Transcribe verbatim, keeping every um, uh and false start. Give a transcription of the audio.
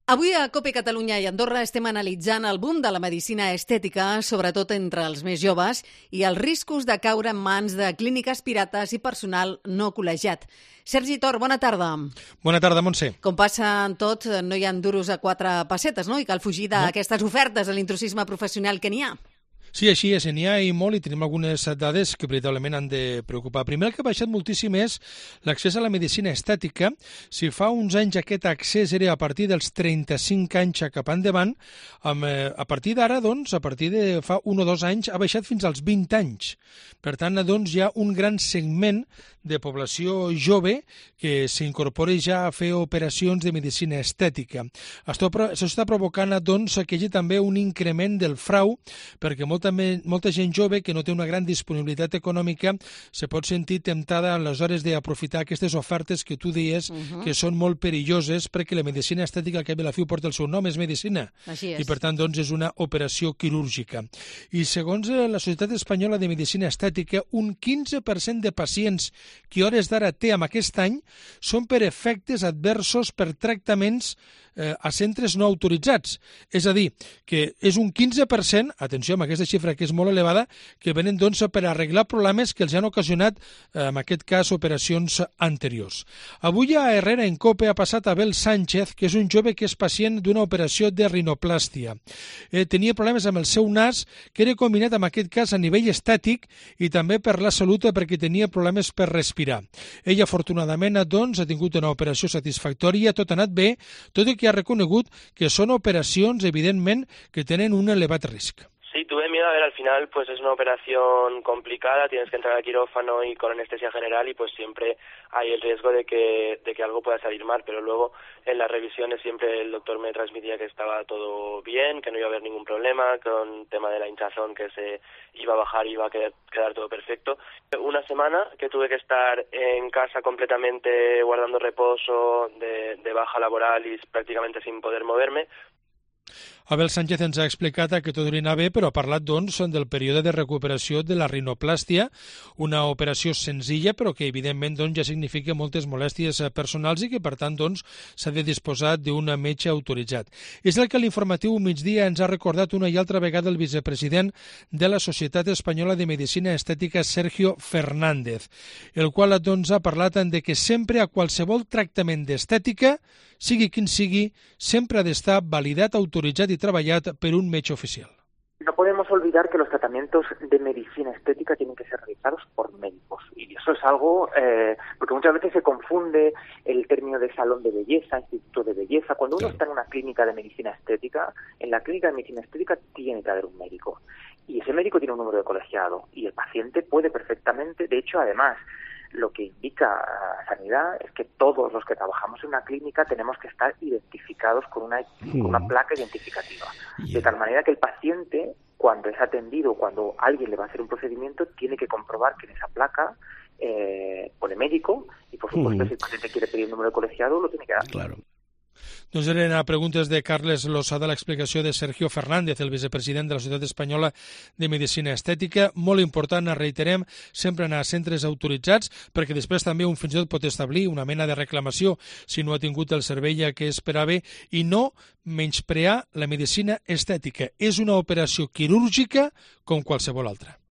Avui a COPE Catalunya i Andorra estem analitzant el boom de la medicina estètica, sobretot entre els més joves, i els riscos de caure en mans de clíniques pirates i personal no col·legiat. Sergi Tor, bona tarda. Bona tarda, Montse. Com passa en tot, no hi ha duros a quatre pessetes, no? I cal fugir d'aquestes ofertes a l'intrusisme professional que n'hi ha. Sí, així és, n'hi ha i molt, i tenim algunes dades que veritablement han de preocupar. Primer, el que ha baixat moltíssim és l'accés a la medicina estètica. Si fa uns anys aquest accés era a partir dels trenta-cinc anys cap endavant, amb, eh, a partir d'ara, doncs, a partir de fa un o dos anys, ha baixat fins als vint anys. Per tant, doncs, hi ha un gran segment de població jove que s'incorpora ja a fer operacions de medicina estètica. Això està provocant, doncs, que hi hagi també un increment del frau, perquè molt també molta gent jove que no té una gran disponibilitat econòmica se pot sentir temptada aleshores d'aprofitar aquestes ofertes que tu deies uh-huh. que són molt perilloses, perquè la medicina estètica al cap i a la fi porta el seu nom, és medicina. Així és. I per tant doncs és una operació quirúrgica. I segons la Societat Espanyola de Medicina Estètica, un quinze per cent de pacients que a hores d'ara té amb aquest any són per efectes adversos per tractaments eh, a centres no autoritzats. És a dir, que és un quinze per cent, atenció amb aquesta xifra que és molt elevada, que venen doncs per arreglar problemes que els han ocasionat, eh, en aquest cas, operacions anteriors. Avui a Herrera en COPE ha passat Abel Sánchez, que és un jove que és pacient d'una operació de rinoplàstia. Eh, tenia problemes amb el seu nas, que era combinat en aquest cas a nivell estètic i també per la salut, perquè tenia problemes per respirar. Ell, afortunadament, doncs, ha tingut una operació satisfactòria, tot ha anat bé, tot i que ha reconegut que són operacions, evidentment, que tenen un elevat risc. Sí, tuve miedo, a ver, al final pues es una operación complicada, tienes que entrar al quirófano y con anestesia general y pues siempre hay el riesgo de que, de que algo pueda salir mal, pero luego en las revisiones siempre el doctor me transmitía que estaba todo bien, que no iba a haber ningún problema, con el tema de la hinchazón que se iba a bajar y iba a quedar, quedar todo perfecto. Una semana que tuve que estar en casa completamente guardando reposo, de, de baja laboral y prácticamente sin poder moverme. Abel Sánchez ens ha explicat que tot li anava bé, però ha parlat doncs del període de recuperació de la rinoplàstia, una operació senzilla però que evidentment doncs, ja significa moltes molèsties personals i que per tant doncs, s'ha de disposar d'un metge autoritzat. És el que l'informatiu migdia ens ha recordat una i altra vegada el vicepresident de la Societat Espanyola de Medicina Estètica, Sergio Fernández, el qual doncs, ha parlat de que sempre a qualsevol tractament d'estètica, sigui quin sigui, sempre ha d'estar validat, autoritzat i treballat per un metge oficial. No podemos olvidar que los tratamientos de medicina estética tienen que ser realizados por médicos. Y eso es algo, eh, porque muchas veces se confunde el término de salón de belleza, instituto de belleza. Cuando uno está en una clínica de medicina estética, en la clínica de medicina estética tiene que haber un médico. Y ese médico tiene un número de colegiado. Y el paciente puede perfectamente, de hecho, además, lo que indica Sanidad es que todos los que trabajamos en una clínica tenemos que estar identificados con una, con una placa identificativa. De tal manera que el paciente, cuando es atendido, cuando alguien le va a hacer un procedimiento, tiene que comprobar que en esa placa eh, pone médico y, por supuesto, si el paciente quiere pedir el número de colegiado, lo tiene que dar. Claro. Doncs eren a preguntes de Carles Losada l'explicació de Sergio Fernández, el vicepresident de la Societat Espanyola de Medicina Estètica. Molt important, reiterem, sempre anar a centres autoritzats, perquè després també un fins i tot pot establir una mena de reclamació si no ha tingut el servei que esperava, i no menysprear la medicina estètica. És una operació quirúrgica com qualsevol altra.